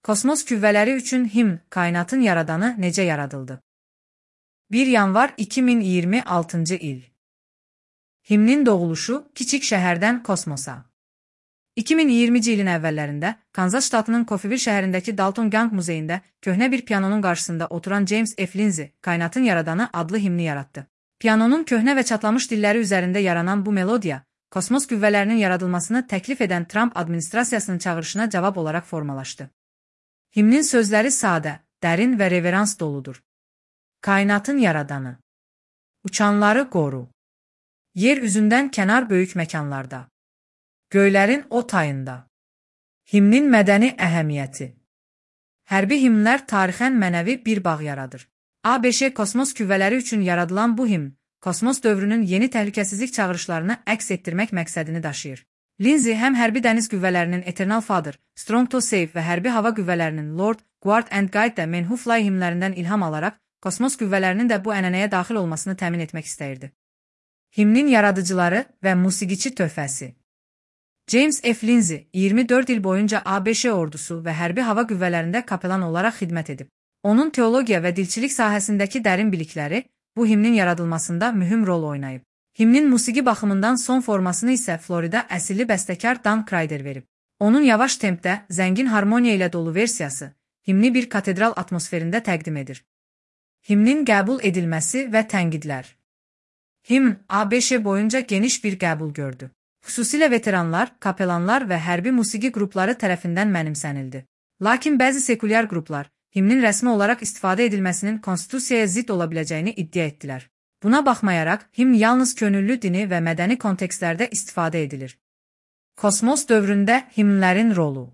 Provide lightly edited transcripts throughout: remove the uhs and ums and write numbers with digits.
Kosmos küvvələri üçün himn, kainatın yaradanı necə yaradıldı? 1 yanvar 2026-cı il. Himnin doğuluşu kiçik şəhərdən kosmosa. 2020-ci ilin əvvəllərində Kanzas ştatının Coffeyville şəhərindəki Dalton Gang muzeyində köhnə bir pianonun qarşısında oturan James F. Lindsay, Kainatın Yaradanı adlı himni yaratdı. Pianonun köhnə və çatlamış dilləri üzərində yaranan bu melodiya, kosmos qüvvələrinin yaradılmasını təklif edən Trump administrasiyasının çağırışına cavab olaraq formalaşdı. Himnin sözləri sadə, dərin və reverans doludur. Kainatın yaradanı. Uçanları qoru. Yer üzündən kənar böyük məkanlarda. Göylərin o tayında. Himnin mədəni əhəmiyyəti. Hərbi himnlər tarixən mənəvi bir bağ yaradır. ABŞ kosmos küvvələri üçün yaradılan bu himn, kosmos dövrünün yeni təhlükəsizlik çağırışlarını əks etdirmək məqsədini daşıyır. Lindsay həm hərbi dəniz qüvvələrinin Eternal Father, Strong to Save və hərbi hava qüvvələrinin Lord, Guard and Guide də Men Who Fly himlərindən ilham alaraq, kosmos qüvvələrinin də bu ənənəyə daxil olmasını təmin etmək istəyirdi. Himnin yaradıcıları və musiqiçi töhfəsi. James F. Lindsay 24 il boyunca ABŞ ordusu və hərbi hava qüvvələrində kapelan olaraq xidmət edib. Onun teologiya və dilçilik sahəsindəki dərin bilikləri bu himnin yaradılmasında mühüm rol oynayıb. Himnin musiqi baxımından son formasını isə Florida əsilli bəstəkar Dan Crider verib. Onun yavaş tempdə, zəngin harmoniya ilə dolu versiyası, himni bir katedral atmosferində təqdim edir. Himnin qəbul edilməsi və tənqidlər. Himn ABŞ boyunca geniş bir qəbul gördü. Xüsusilə veteranlar, kapelanlar və hərbi musiqi qrupları tərəfindən mənimsənildi. Lakin bəzi sekulyar qruplar, himnin rəsmi olaraq istifadə edilməsinin konstitusiyaya zidd ola biləcəyini iddia etdilər. Buna baxmayaraq, himn yalnız könüllü dini və mədəni kontekstlərdə istifadə edilir. Kosmos dövründə himnlərin rolu.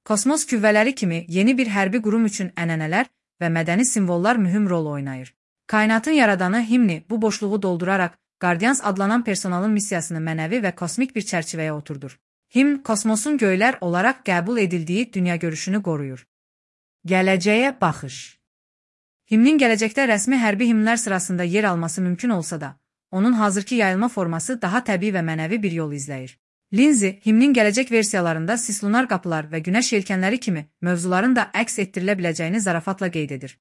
Kosmos küvvələri kimi yeni bir hərbi qurum üçün ənənələr və mədəni simvollar mühüm rol oynayır. Kainatın yaradanı himni bu boşluğu dolduraraq, Guardians adlanan personalın missiyasını mənəvi və kosmik bir çərçivəyə oturdur. Himn, kosmosun göylər olaraq qəbul edildiyi dünyagörüşünü qoruyur. Gələcəyə baxış. Himnin gələcəkdə rəsmi hərbi himnlər sırasında yer alması mümkün olsa da, onun hazırki yayılma forması daha təbii və mənəvi bir yol izləyir. Lindsay, himnin gələcək versiyalarında sislunar qapılar və günəş yelkənləri kimi mövzuların da əks etdirilə biləcəyini zarafatla qeyd edir.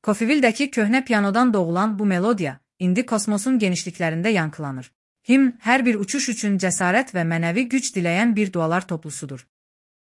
Coffeyville-dəki köhnə pianodan doğulan bu melodiya, indi kosmosun genişliklərində yankılanır. Himn, hər bir uçuş üçün cəsarət və mənəvi güc diləyən bir dualar toplusudur.